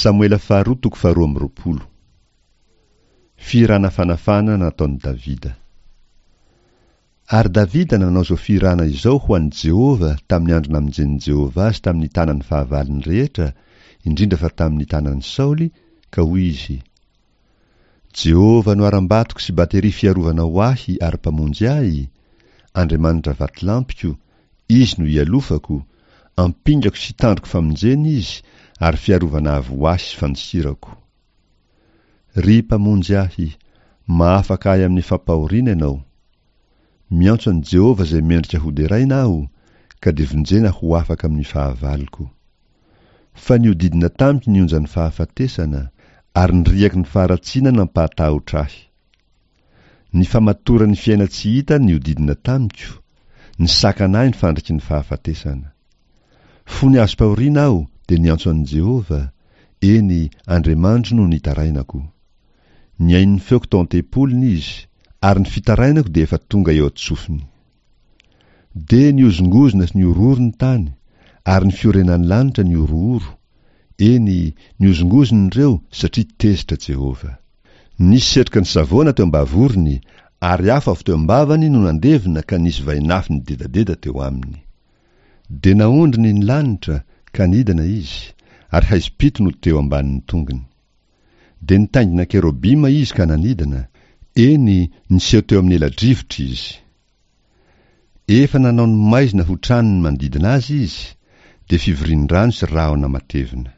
Samoela faharoa toko faharoa amby roapolo. Fihirana fanafahana nataon'i Davida. Ary Davida nanao izao fihirana izao ho an'i Jehovah tamin'ny andro namonjen'i Jehovah azy tamin'ny tanan'ny fahavalony rehetra, indrindra fa tamin'ny tanan'i Saoly, ka hoy izy, Jehovah no harambatoko sy bateria fiarovana ho ahy ary mpamonjy ahy, Andriamanitra vatolampiko, Izy no ialofako, ampingako sy tandroko famonjena Izy ary fiarovana avo ho ahy sy fandosirako. Ry Mpamonjy ahy, mahafaka ahy amin'ny fampahoriana Ianao. Miantso an'i Jehovah izay mendrika hoderaina aho, ka dia vonjena ho afaka amin'ny fahavaloko. Fa nihodidina tamiko ny onjan'ny fahafatesana, ary ny riaky ny faharatsiana nampahatahotra ahy. Ny famatoran'ny fiaina-tsy hita nihodidina tamiko, nisakana ahy ny fandriky ny fahafatesana. Fony azom-pahoriana aho dia niantso an'i Jehovah, eny, Andriamanitro no nitarainako. Nihaino ny feoko tao an-tempoliny Izy, ary ny fitarainako dia efa tonga eo an-tsofiny. Dia nihozongozona sy nihorohoro ny tany, ary ny fiorenan'ny lanitra nihorohoro, eny, nihozongozona ireo satria tezitra Jehovah. Nisy setroka nisavoana teo am-bavorony, ary afo avy teo am-bavany no nandevona ka nisy vainafo nidedadeda teo aminy. Dia naondriny ny lanitra, ka nidina izy, ary haizim-pito no teo ambanin'ny tongony. Dia nitaingina kerobima izy ka nanidina, eny, niseho teo amin'ny ela-drivotra izy. Efa nanao ny maizina ho tranony manodidina azy izy, dia fivorian-drano sy rahona matevina.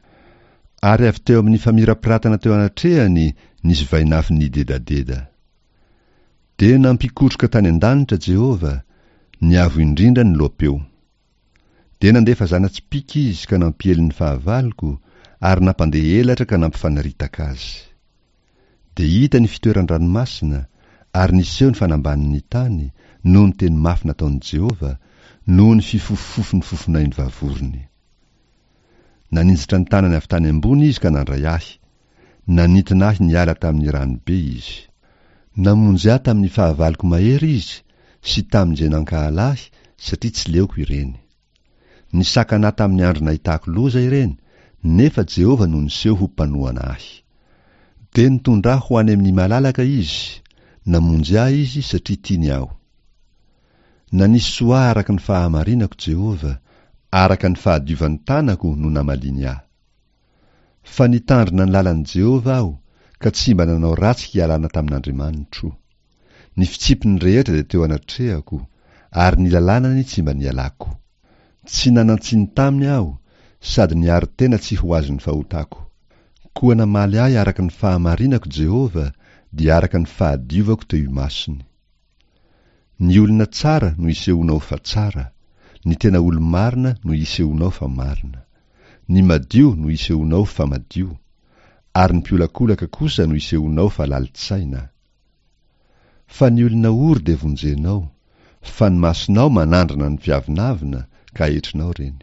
Ary avy teo amin'ny famirapiratana teo anatrehany nisy vainafo nidedadeda. Dia nampikotroka tany an-danitra Jehovah, ny Avo Indrindra niloa-peo. Dia nandefa zana-tsipìka izy ka nampiely ny fahavaloko, ary nampandeha elatra ka nampifanaritaka azy. Dia hita ny fitoeran-dranomasina, ary niseho ny fanambanin'ny tany, noho ny teny mafy nataon'i Jehovah, noho ny fifofofofon'ny fofonain'ny vavorony. Naninjitra ny tanany avy tany ambony izy ka nandray ahy. Nanintona ahy niala tamin'ny rano be izy. Namonjy ahy tamin'ny fahavaloko mahery izy sy tamin'izay nankahala ahy satria tsy leoko ireny. Nisakana ahy tamin'ny andro nahitako loza ireny, nefa Jehovah no niseho ho mpanohana ahy. Dia nitondra ahy ho any amin'ny malalaka izy, namonjy ahy izy satria tiany aho. Nanisy soa ahy araka ny fahamarinako Jehovah, araka ny fahadiovan'ny tanako no namaliany ahy. Fa nitandrina ny lalan'i Jehovah aho, ka tsy mba nanao ratsy hialana tamin'Andriamanitro. Ny fitsipiny rehetra dia teo anatrehako, ary ny lalànany tsy mba nialako. Tsy nanan-tsiny taminy aho, sady niaro tena tsy ho azon'ny fahotako. Koa namaly ahy araka ny fahamarinako Jehovah, dia araka ny fahadiovako teo imasony. Ny olona tsara no isehoanao fa tsara, ny tena olo-marina no isehoanao fa marina. Ny madio no isehoanao fa madio, ary ny mpiolakolaka kosa no isehoanao fa lalin-tsaina. Fa ny olona ory dia vonjenao, fa ny masonao manandrana ny mpiavonavona ka aetrinao ireny.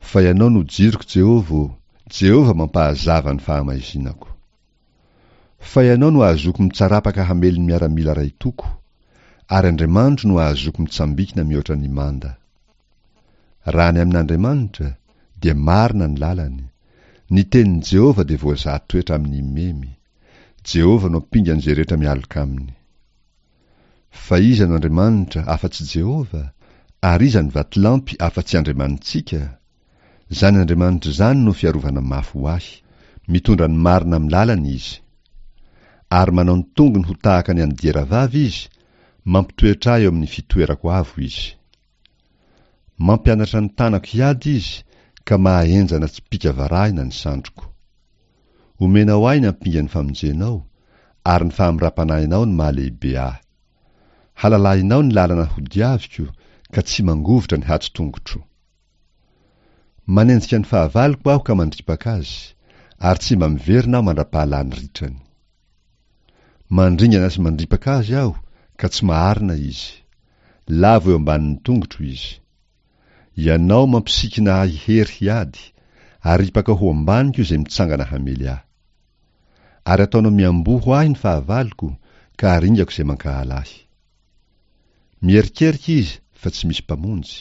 Fa Ianao no jiroko Jehovah ô, Jehovah mampahazava ny fahamaizinako. Fa Ianao no ahazoako mitsarapaka hamely ny miaramila ray toko, ary Andriamanitro no ahazoako mitsambikina mihoatra ny manda. Raha ny amin'Andriamanitra, dia marina ny lalany, ny tenin'i Jehovah dia voazaha toetra amin'ny memy. Jehovah no ampingan'izay rehetra mialoka aminy. Fa iza no Andriamanitra afa-tsy Jehovah? Ary iza no vatolampy afa-tsy Andriamanitsika? Izany Andriamanitra izany no fiarovana mafy ho ahy. Mitondra ny marina amin'ny lalany Izy. Ary manao ny tongony ho tahaka ny an'ny dieravavy Izy, mampitoetra ahy eo amin'ny fitoerako avo Izy. Mampianatra ny tanako hiady Izy, ka mahahenjana tsipìka varahina ny sandriko. Omenao ahy ny ampingan'ny famonjenao, ary ny fahamoram-panahinao no mahalehibe ahy. Halalahinao ny lalana hodiaviko, ka tsy mangovitra ny hato-tongotro. Manenjika ny fahavaloko aho ka mandripaka azy, ary tsy mba miverina aho mandra-pahalany ritrany. Mandringana sy mandripaka azy aho, ka tsy maharina izy. Lavo eo ambanin'ny tongotro izy. Ianao mampisikina ahy hery hiady, aripakao ho ambaniko izay mitsangana hamely ahy. Ary ataonao miamboho ahy ny fahavaloko, ka aringako izay mankahala ahy. Mierikerika izy fa tsy misy mpamonjy.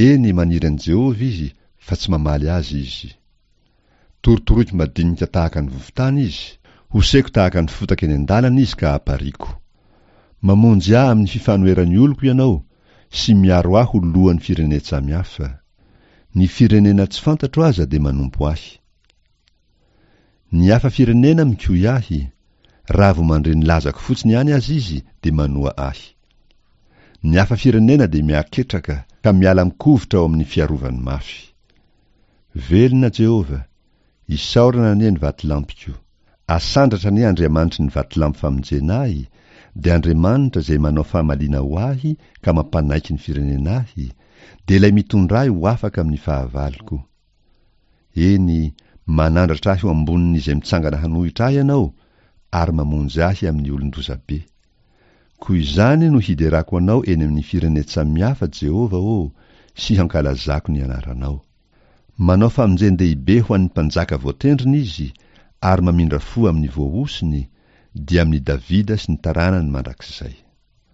Eny, maniry an'i Jehovah izy, fa tsy mamaly azy izy. Torotoroiko madinika tahaka ny vovon-tany izy, hoseko tahaka ny fotaka eny an-dalana izy ka apariako. Mamonjy ahy amin'ny fifanoheran'ny oloko Ianao, sy miaro ahy ho lohan'ny firenen-tsamihafa. Ny firenena tsy fantatro aza dia manompo ahy. Ny hafa firenena mikoy ahy, raha vao mandre ny lazako fotsiny ihany aza izy dia manoa ahy. Ny hafa firenena dia mihaketraka ka miala mikovitra ao amin'ny fiarovany mafy. Velona Jehovah, isaorana anie ny vatolampiko. Asandratra anie Andriamanitry ny vatolampy famonjena ahy, dia Andriamanitra izay manao famaliana ho ahy ka mampanaiky ny firenena ahy, dia ilay mitondra ahy ho afaka amin'ny fahavaloko. Eny, manandratra ahy ho ambonin'izay mitsangana hanohitra ahy Ianao, ary mamonjy ahy amin'ny olon-dozabe. Koa izany no hiderako Anao eny amin'ny firenen-tsamihafa, Jehovah ô, sy hankalazako ny anaranao. Manao famonjen-dehibe ho an'ny mpanjaka voatendriny Izy, ary mamindra fo amin'ny voahosony, dia amin'i Davida sy ny taranany mandrakizay.